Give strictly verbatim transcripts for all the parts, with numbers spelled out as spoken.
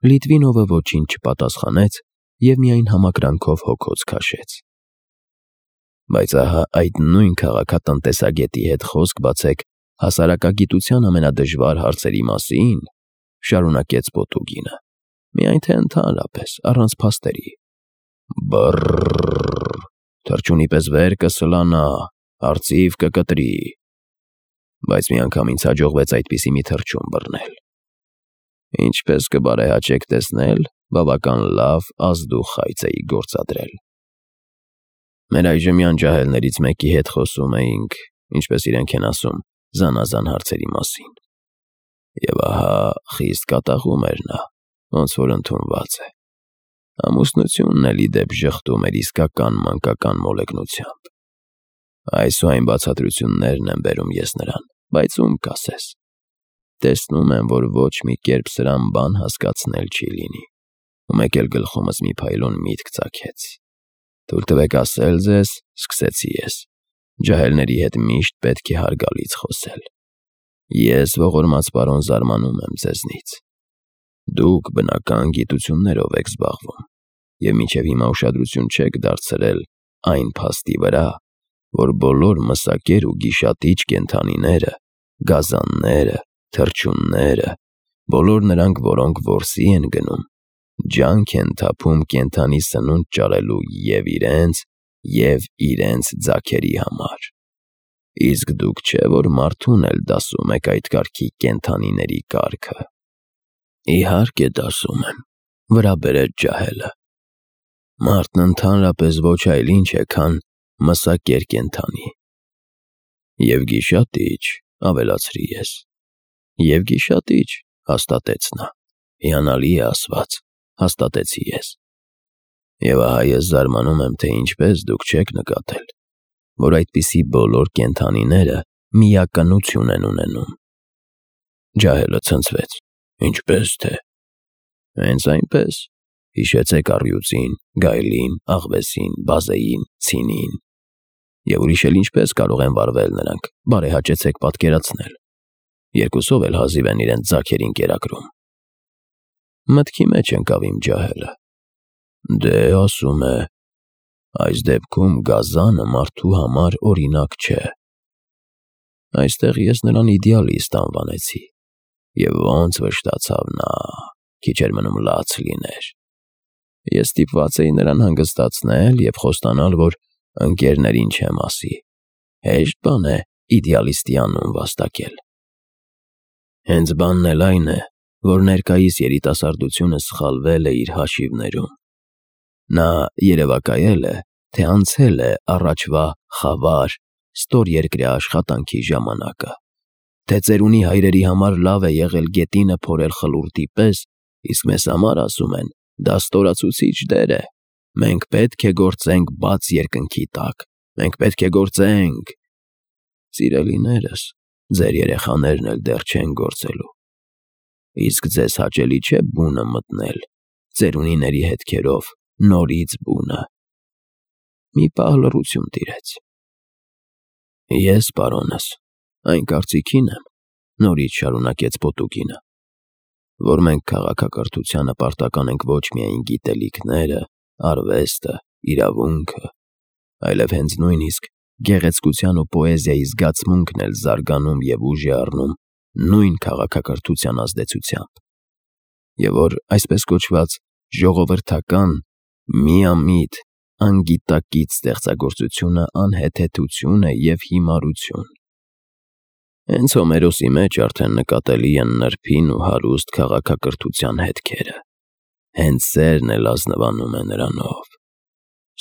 Լիտվինովը ոչինչ չպատասխանեց և միայն համակրանքով հոգոց քաշեց։ Բայց ահա այդ նույն քաղաքատնտեսագետի հետ խոսք բացեք հասարակագիտության ամենադժվար հարցերի մասին, շարունակեց Պոտուգինը, միայն թե ընդհանրապես, առանց փաստերի։ Բռռռ, թռչունի պես վեր կսլանա, արծիվ կկտրի։ Բայց միանգամից հաջողվեց այդպիսի մի թռչուն բռնել։ Ինչպես կբարեհաճեք տեսնել, բավական լավ ազդու խայծ էի գործադրել։ Մեր այժմյան ջահելներից մեկի հետ խոսում էինք, ինչպես իրենք են ասում, զանազան հարցերի մասին։ Եվ ահա խիստ կատաղում էր նա, ոնց որ ընդունված է։ Ամուսնությունն էլ ի դեպ ժխտում էր իսկական մանկական մոլեգնությամբ։ Այս ու այն բացատրություններն եմ բերում ես նրան, բայց ում կասես։ Տեսնում եմ, որ ոչ մի կերպ սրան բան հասկացնել չի լինի։ Ու մեկ էլ գլխումս մի փայլուն միտք ծագեց։ Թույլ տվեք ասել ձեզ, սկսեցի ես, ջահելների հետ միշտ պետք է հարգալից խոսել։ Ես, ողորմած պարոն, զարմանում եմ ձեզնից։ Դուք բնական գիտություններով եք զբաղվում և մինչև հիմա ուշադրություն չեք դարձրել այն փաստի վրա, որ բոլոր մսակեր ու գիշատիչ կենդանիները, գազանները, թռչունները, բոլոր նրանք, որոնք որսի են գնում, ջանք են թափում կենդանի սնունդ ճարելու և իրենց, և իրենց ձագերի համար։ Իսկ դուք չէ, որ մարդուն էլ դասում եք այդ կարգի կենդանիների կարգը։ Իհարկե դասում եմ, վրա բերեց ջահելը։ Մարդն ընդհանրապես ոչ այլ ինչ է, քան մսակեր կենդանի։ Եվ գիշատիչ, ավելացրի ես։ Եվ գիշատիչ, հաստատեց նա։ Հիանալի է ասված, հաստատեցի ես։ Եվ ահա ես զարմանում եմ, թե ինչպես դուք չեք նկատել, որ այդպիսի բոլոր կենդանիները միակնություն են ունենում։ Ջահելը ցնցվեց։ Ինչպես թե։ Հենց այնպես։ Հիշեցեք առյուծին, գայլին, աղվեսին, բազեին, ցինին։ Եվ ուրիշ էլ ինչպես կարող են վարվել նրանք, բարեհաճեցեք պատկերացնել։ Երկուսով էլ հազիվ են իրենց ձագերին կերակրում։ Մտքի մեջ ընկավ իմ ջահելը։ Դե, ասում է, այս դեպքում գազանը մարդու համար օրինակ չէ։ Այստեղ ես նրան իդեալիստ անվանեցի։ Եվ ոնց վշտացավ նա, քիչ էր մնում լաց լիներ։ Ես ստիպված էի նրան հանգստացնել և խոստանալ, որ ընկերներին չեմ ասի։ Հեշտ բան է իդեալիստի անուն վաստակել։ Հենց բանն էլ այն է, որ ներկայիս երիտասարդությունը սխալվել է իր հաշիվներում։ Նա երևակայել է, թե անցել է առաջվա խավար, ստորերկրյա աշխատանքի ժամանակը, թե ծերունի հայրերի համար լավ է եղել գետինը փորել խլուրդի պես, իսկ մեզ համար, ասում են, դա ստորացուցիչ դեր է։ Մենք պետք է գործենք բաց երկնքի տակ, մենք պետք է գործենք։ Սիրելիներս, ձեր երեխաներն էլ դեռ չեն գործելու։ Իսկ ձեզ հաճելի չէ բունը մտնել, ծերունիների հետքերով, նորից բունը։ Մի պահ լռություն տիրեց։ Ես, պարոնս, այն կարծիքին եմ, նորից շարունակեց Պոտուգինը, որ մենք քաղաքակրթությանը պարտական ենք ոչ միայն գիտելիքները, արվեստը, իրավունքը, այլև հենց նույնիսկ գեղեցկության ու պոեզիայի զգացմունքն էլ զարգանում և ուժ է առնում նույն քաղաքակրթության ազդեցությամբ, և որ այսպես կոչված ժողովրդական, միամիտ, անգիտակից ստեղծագործությունը անհեթեթություն է և հիմարություն։ Հենց Հոմերոսի մեջ արդեն նկատելի են նրբին ու հարուստ քաղաքակրթության հետքերը։ Հենց սերն էլ ազնվանում է նրանով։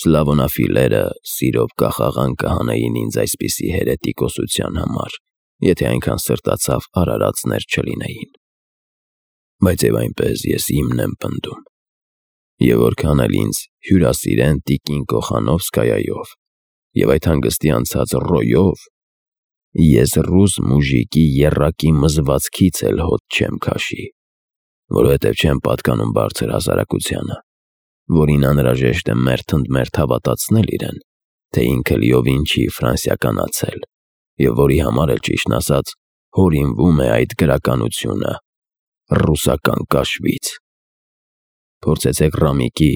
Սլավոնաֆիլները սիրով կախաղան կհանեին ինձ այսպիսի հերետիկոսության համար, եթե այնքան սրտացավ արարածներ չլինեին։ Բայց և այնպես ես իմն եմ պնդում։ Եվ որքան էլ ինձ հյուրասիրեն տիկին Կոխանովսկայայով և այդ հանգստի անցած Ռոյով, ես ռուս մուժիկի եռակի մզվածքից էլ հոտ չեմ քաշի, որովհետև չեմ պատկանում բարձր հասարակությանը, որին անհրաժեշտ է մերթ ընդ մերթ հավատացնել իրեն, թե ինքը լիովին չի ֆրանսիականացել, և որի համար էլ, ճիշտն ասած, հորինվում է այդ գրականությունը ռուսական կաշվից։ Փորձեցեք Ռամիկի,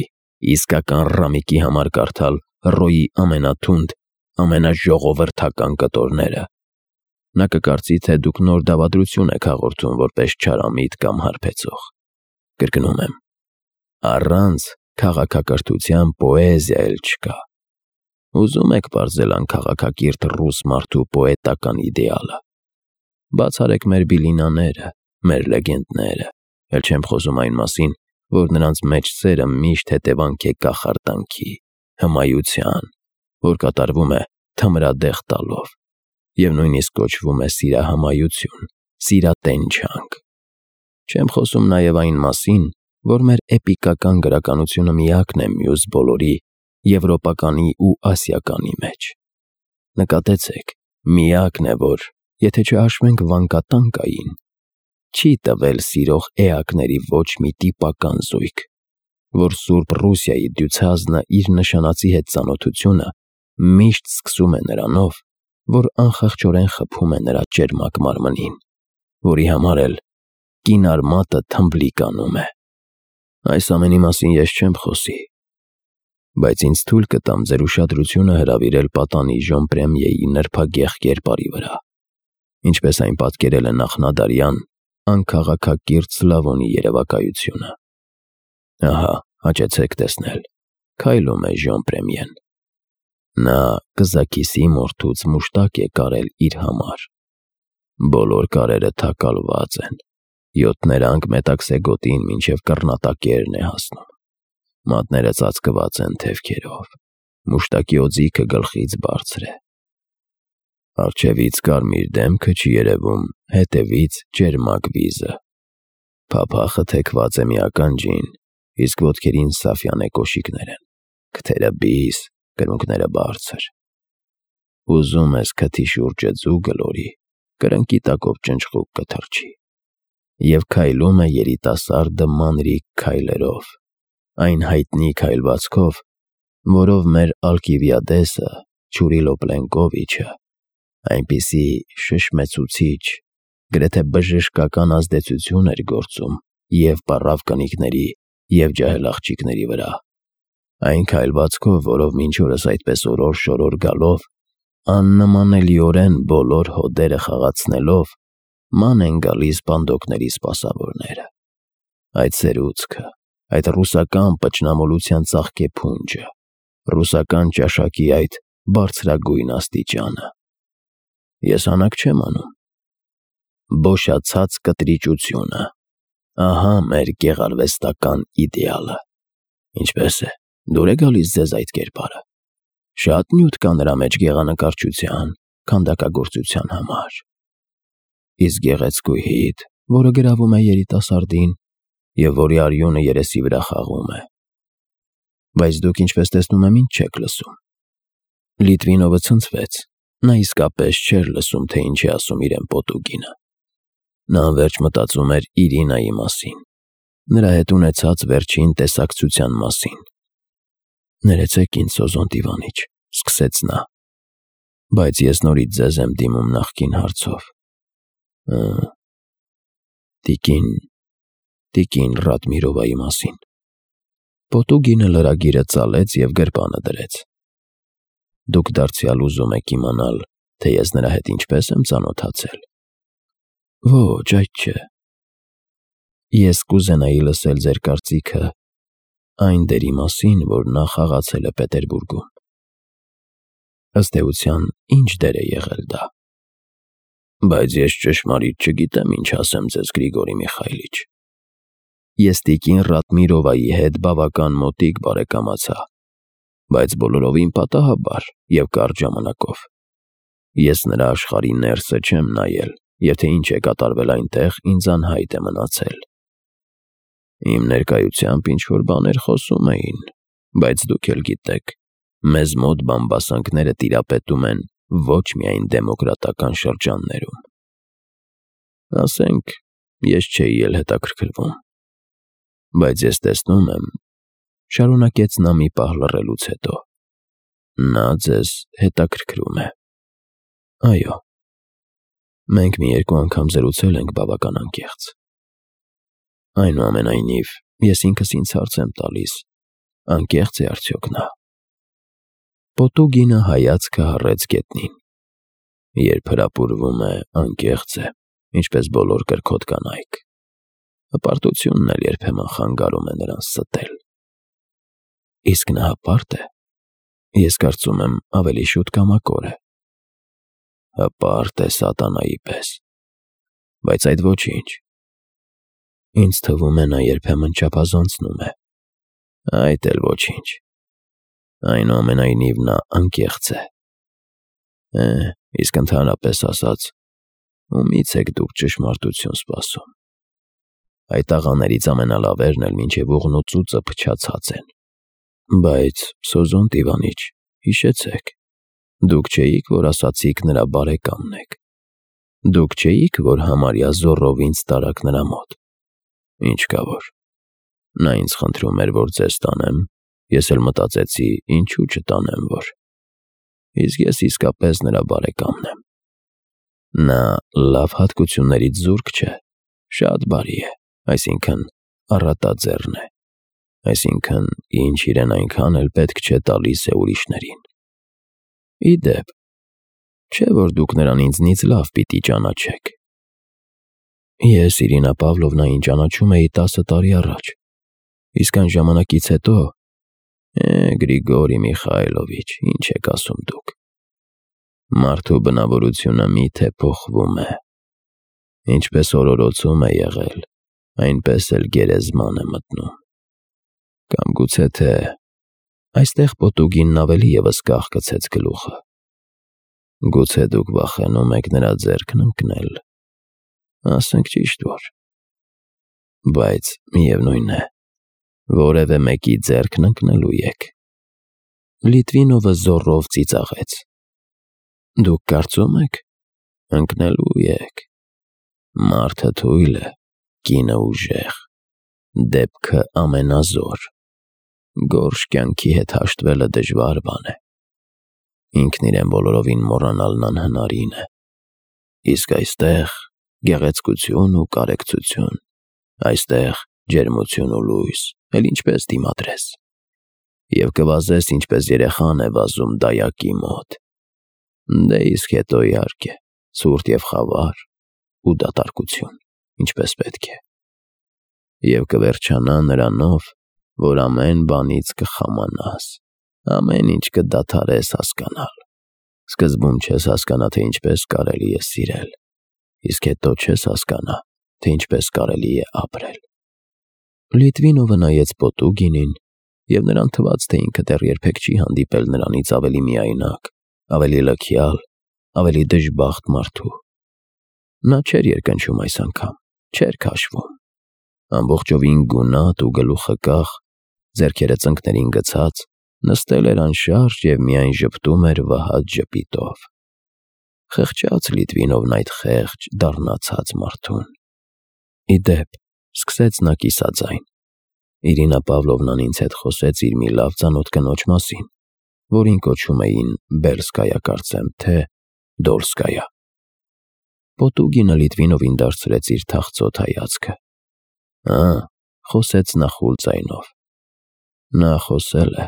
իսկական Ռամիկի համար կարդալ Ռոյի ամենաթունդ, ամենաժողովրդական կտորները։ Նա կկարծի, թե դուք նոր դավադրություն եք հաղորդում որպես չարամիտ կամ հարբեցող։ Կրկնում եմ, առանց քաղաքակրթության պոեզիա էլ չկա։ Ուզում եք պարզել անքաղաքակիրթ ռուս մարդու պոետական իդեալը։ Բացարեք մեր բիլինաները, մեր լեգենդները, էլ չեմ խոսում այն մասին, որ նրանց մեջ սերը միշտ հետևանք է կախարդանքի, հմայության, որ կատարվում է թմրադեղ տալով, և նույնիսկ կոչվում է սիրահմայություն, սիրատենչանք։ Չեմ խոսում նաև այն մասին, որ մեր էպիկական գրականությունը միակն է մյուս բոլորի եվրոպականի ու ասիականի մեջ։ Նկատեցեք, միակն է, որ, եթե չհաշվենք վանկատանկային, չի տվել սիրող էակների ոչ մի տիպական զույգ, որ Սուրբ Ռուսիայի դյուցազնը իր նշանածի հետ ծանոթությունը միշտ սկսում է նրանով, որ անխղճորեն խփում է նրա ճերմակ մարմնին, որի համար էլ կինարմատը թմբլիկ անում է։ Այս ամենի մասին ես չեմ խոսի, բայց ինձ թույլ կտամ ձեր ուշադրությունը հրավիրել պատանի ժոմպրեմիեի նրբագեղ կերպարի վրա, ինչպես այն պատկերել է նախնադարյան անքաղաքակիրթ Սլավոնի երևակայությունը։ Ահա, հաճեցեք տեսնել, քայլում է ժոմպրեմիեն։ Նա կզաքիսի մորթուց մուշտակ է կարել իր համար։ Բոլոր կարերը թակալված են, յոթներանգ մետաքսե գոտին մինչև կռնատակերն է հասնում։ Մատները ծածկված են թևքերով, մուշտակի օձիքը գլխից բարձր է։ Առջևից կարմիր դեմքը չի երևում, հետևից ճերմակ վիզը։ Փափախը թեքված է մի ականջին, իսկ ոտքերին սաֆյանե կոշիկներ են, քթերը բիս, կրունկները բարձր։ Ուզում ես քթի շուրջը ձու գլորի, կրնկի տակով ճնճղուկ կթռչի։ Եվ քայլում է երիտասարդը մանրիկ քայլերով, այն հայտնի քայլվածքով, որով մեր Ալկիվիադեսը, Չուրիլո Պլենկովիչը, այնպիսի շշմեցուցիչ, գրեթե բժշկական ազդեցություն էր գործում և պառավ կնիկների, և ջահել աղջիկների վրա, այն քայլվածքով, որով մինչ օրս այդպես օրոր-շորոր գալով, աննմանելիորեն բոլոր հոդերը խաղացնելով, ման են գալիս պանդոկների սպասավորները։ Այդ սերուցքը, այդ ռուսական պճնամոլության ծաղկե փունջը, ռուսական ճաշակի այդ բարձրագույն աստիճանը։ Ես հանակ չեմ անում։ Բոշացած կտրիճությունը, ահա մեր գեղարվեստական իդեալը։ Ինչպե՞ս է, դուր է գալիս ձեզ այդ կերպարը։ Շատ նյութ կա նրա մեջ գեղանկարչության, քանդակագործության համար։ Իսկ գեղեցկուհիդ, որը գրավում է երիտասարդին, և որի արյունը երեսի վրա խաղում է։ Բայց դուք, ինչպես տեսնում եմ, ինձ չեք լսում։ Լիտվինովը ցնցվեց, նա իսկապես չէր լսում, թե ինչ է ասում իրեն Պոտուկինը։ Նա անվերջ մտածում էր Իրինայի մասին, նրա հետ ունեցած վերջին տեսակցության մասին։ Ներեցեք ինձ, Սոզոն դիվանիչ, սկսեց նա, բայց ես նորից ձեզ եմ դիմում նախկին հարցով։ Տիկին, տիկին Ռադմիրովայի մասին։ Պոտուկինը լրագիրը ծալեց և գրպանը դրեց։ Դուք դարձյալ ուզում եք իմանալ, թե ես նրա հետ ինչպես եմ ծանոթացել։ Ոչ, այդ չէ։ Ես կուզենայի լսել ձեր կարծիքը այն դերի մասին, որ նա խաղացել է Պետերբուրգում։ Ըստ էության, ինչ դեր է եղել դա։ Բայց ես ճշմարիտ չգիտեմ ինչ ասեմ ձեզ, Գրիգորի Միխայիլիչ։ Ես տիկին Ռադմիրովայի հետ բավական մոտիկ բարեկամացա, բայց բոլորովին պատահաբար և կարճ ժամանակով։ Ես նրա աշխարհի ներսը չեմ նայել, և թե ինչ է կատարվել այնտեղ, ինձ անհայտ է մնացել։ Իմ ներկայությամբ ինչ-որ բաներ խոսում էին, բայց դուք էլ գիտեք, մեզ մոտ բամբասանքները տիրապետում են ոչ միայն դեմոկրատական շրջաններում։ Ասենք, ես չէի էլ հետաքրքրվում։ Բայց ես տեսնում եմ, շարունակեց նա մի պահ լռելուց հետո, նա ձեզ հետաքրքրում է։ Այո, մենք մի երկու անգամ զրուցել ենք բավական անկեղծ։ Այնուամենայնիվ, Ես ինքս ինձ հարց եմ տալիս, անկեղծ է արդյոք նա։ Պոտուգինը հայացքը հառեց գետնին։ Երբ հրապուրվում է, անկեղծ է, ինչպես բոլոր կրքոտ կանայք։ Հպարտությունն էլ երբեմն խանգարում է նրան ստել։ Իսկ նա հպարտ է։ Ես կարծում եմ ավելի շուտ կամակոր է։ Հպարտ է սատանայի պես։ Բայց այդ ոչինչ։ Ինձ թվում է նա երբեմն չափազանցնում է։ Այդ էլ ոչինչ։ Այնուամենայնիվ նա անկեղծ է։ Է, իսկ ընդհանրապես ասած, ումից եք դուք ճշմարտություն սպասում։ Այդ աղաներից ամենալավերն էլ մինչև ուղն ու ծուծը փչացած են։ Բայց, Սոզոն Տիվանիչ, հիշեցեք, դուք չէիք, որ ասացիք նրա բարեկամն եք։ Դուք չէիք, որ համարյա զոռով ինձ տարաք նրա մոտ։ Ինչ կա որ։ Նա ինձ խնդրում էր, որ ձեզ տանեմ, ես էլ մտածեցի, ինչու չտանեմ որ։ Իսկ ես իսկապես նրա բարեկամն եմ։ Նա լավ հատկություններից զուրկ չէ, շատ բարի է, այսինքն առատաձեռն է, այսինքն ինչ իրեն այնքան էլ պետք չէ տալիս է ուրիշներին։ Ի դեպ, չէ որ դուք նրան ինձնից լավ պիտի ճանաչեք։ Ես Իրինա Պավլովնային ճանաչում էի տասը տարի առաջ, իսկ այն ժամանակից հետո, է, Գրիգորի Միխայլովիչ, ինչ եք ասում դուք։ Մարդու բնավորությունը միթե փոխվում է։ Ինչպես օրորոցում է եղել, այնպես էլ գերեզման է մտնում։ Կամ գուցե թե այստեղ Պոտուգինն ավելի ևս կախկցեց գլուխը։ Գուցե դուք վախենում եք նրա ձեռքն ընկնել։ Ասենք ճիշտ որ։ Բայց միևնույն է, որևէ մեկի ձեռքն ընկնելու եք։ Լիտվինովը զոռով ծիծաղեց։ Դուք կարծում եք, ընկնելու եք։ Մարդը թույլ է, կինը ուժեղ, դեպքը ամենազոր։ Գորշ կյանքի հետ հաշտվելը դժվար բան է։ Ինքն իրեն բոլորովին մոռանալն անհնարին է։ Իսկ այստեղ գեղեցկություն ու կարեկցություն, այստեղ ջերմություն ու լույս, էլ ինչպես դիմադրես։ Եվ կվազես, ինչպես երեխան է վազում դայակի մոտ։ Դե իսկ հետո իհարկե, ցուրտ և խավար ու դատարկություն, ինչպես պետք է։ Եվ կվերջանա նրանով, որ ամեն բանից կխամանաս, ամեն ինչ կդադարես հասկանալ։ Սկզբում չես հասկանա, թե ինչպես կարելի է սիրել, իսկ հետո չես հասկանա, թե ինչպես կարելի է ապրել։ Լիտվինովը նայեց Պոտուգինին, և նրան թվաց, թե ինքը դեռ երբեք չի հանդիպել նրանից ավելի միայնակ, ավելի լքյալ, ավելի դժբախտ մարդու։ Նա չէր երկնչում այս անգամ, չէր քաշվում։ Ամբողջովին գունատ ու գլուխը կախ, ձեռքերը ծնկներին գցած, նստել էր անշարժ և միայն ժպտում էր վհատ ժպիտով։ Խղճաց Լիտվինովն այդ խեղճ, դառնացած մարդուն։ Ի դեպ, սկսեց նա կիսաձայն։ Իրինա Պավլովնան ինձ հետ խոսեց իր մի լավ ծանոթ կնոջ մասին, որին կոչում էին Բելսկայա, կարծեմ, թե Դոլսկայա։ Պոտուգինը Լիտվինովին դարձրեց իր թախծոտ հայացքը։ Ա, խոսեց նա խուլ ձայնով։ Նա խոսել է։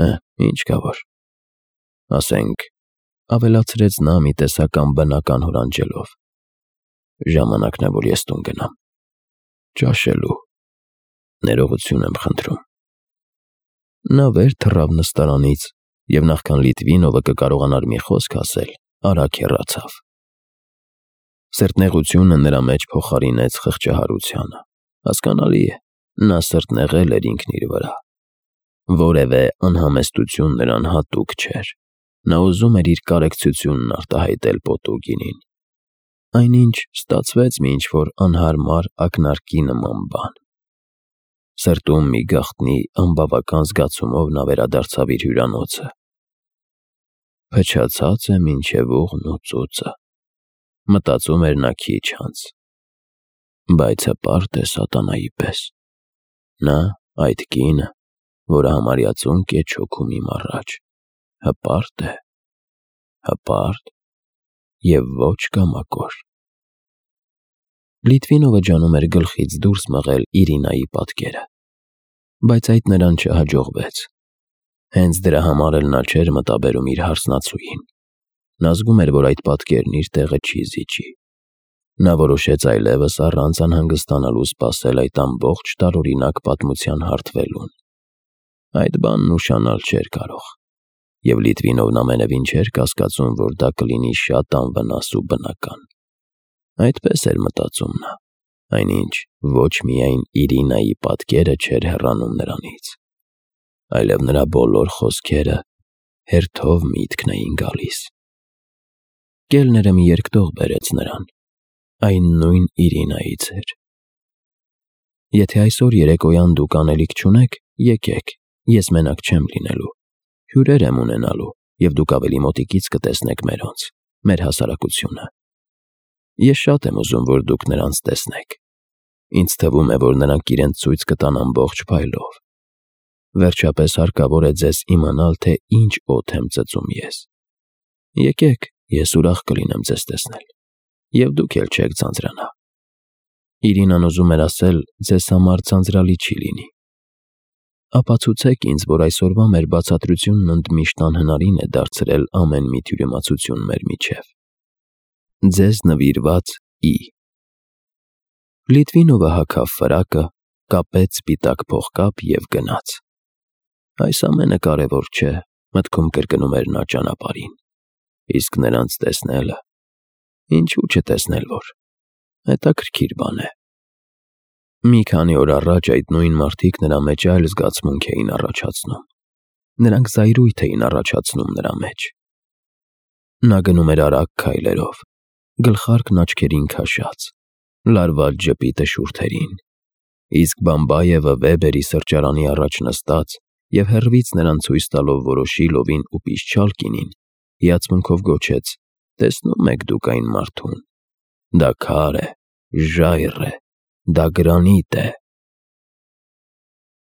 Է, ինչ կա որ։ Ասենք, ավելացրեց նա մի տեսակ անբնական հորանջելով։ Ժամանակն է, որ ես տուն գնամ։ Ճաշելու։ Ներողություն եմ խնդրում։ Նա վեր թռավ նստարանից և նախքան Լիտվինովը կկարողանար մի խոսք ասել, արագ հեռացավ։ Սրտնեղությունը նրա մեջ փոխարինեց խղճահարությանը։ Հասկանալի է, նա սրտնեղել էր ինքն իր վրա։ Որևէ անհամեստություն նրան հատուկ չէր։ Նա ուզում էր իր կարեկցությունն արտահայտել Պոտուգինին։ Այնինչ ստացվեց մի ինչ-որ անհարմար ակնարկի նման բան։ Սրտում մի գաղտնի անբավական զգացումով նա վերադարձավ իր հյուրանոցը։ Փչացած է մինչև ուղն ու ծուծը, մտածում էր նա քիչ անց։ Բայց հպարտ է սատանայի պես։ Նա, այդ կինը, որը համարյա ծունկ է չոքում իմ առաջ, հպարտ է, հպարտ և ոչ կամակոր։ Լիտվինովը ջանում էր գլխից դուրս մղել Իրինայի պատկերը, բայց այդ նրան չհաջողվեց։ Հենց դրա համար էլ նա չէր մտաբերում իր հարսնացուին։ Նա զգում էր, որ այդ պատկերն իր տեղը չի զիջի։ Նա որոշեց այլևս առանց անհանգստանալու սպասել այդ ամբողջ տարօրինակ պատմության հարթվելուն։ Այդ բանն ուշանալ չէր կարող, և Լիտվինովն ամենևին չէր կասկածում, որ դա կլինի շատ անվնաս ու բնական։ Այդպես էր մտածում նա, այնինչ ոչ միայն Իրինայի պատկերը չէր հեռանում նրանից, այլև նրա բոլոր խոսքերը հերթով միտքն էին գալիս։ Կելները մի երկտող բերեց նրան, այն նույն Իրինայից էր։ «Եթե այսօր երեկոյան դուք անելիք չունեք, եկեք, ես մենակ չեմ լինելու, հյուրեր եմ ունենալու, և դուք ավելի մոտիկից կտեսնեք մերոնց, մեր հասարակությունը։ Ես շատ եմ ուզում, որ դուք նրանց տեսնեք։ Ինձ թվում է, որ նրանք իրենց ցույց կտան ամբողջ փայլով։ Վերջապես հարկավոր է ձեզ իմանալ, թե ինչ օդ եմ ծծում ես։ Եկեք, ես ուրախ կլինեմ ձեզ տեսնել, և դուք էլ չեք ձանձրանա։ Իրինան ուզում էր ասել, ձեզ համար ձանձրալի չի լինի։ Ապացուցեք ինձ, որ այսօրվա մեր բացատրությունն ընդմիշտ անհնարին է դարձրել ամեն մի թյուրիմացություն մեր միջև։ Ձեզ նվիրված Ի։ Լիտվինովը հագավ ֆրակը, կապեց սպիտակ փողկապ և գնաց։ Այս ամենը կարևոր չէ, մտքում կրկնում էր նա ճանապարհին, իսկ նրանց տեսնելը, ինչու չտեսնել, որ հետաքրքիր բան է։ Մի քանի օր առաջ այդ նույն մարդիկ նրա մեջ այլ զգացմունք էին առաջացնում։ Նրանք զայրույթ էին առաջացնում նրա մեջ։ Նա գնում էր արագ քայլերով, գլխարկն աչքերին քաշած, լարված ժպիտը շուրթերին, իսկ Բամբայևը Վեբերի սրճարանի առաջ նստած և հեռվից նրան ցույց տալով որոշ իլովին ու պիսչալ կինին, հիացմունքով գոչեց. «Տեսնո՞ւմ եք դուք այն մարդուն։ Դա քար է, ժայռ է, դա գրանիտ է»։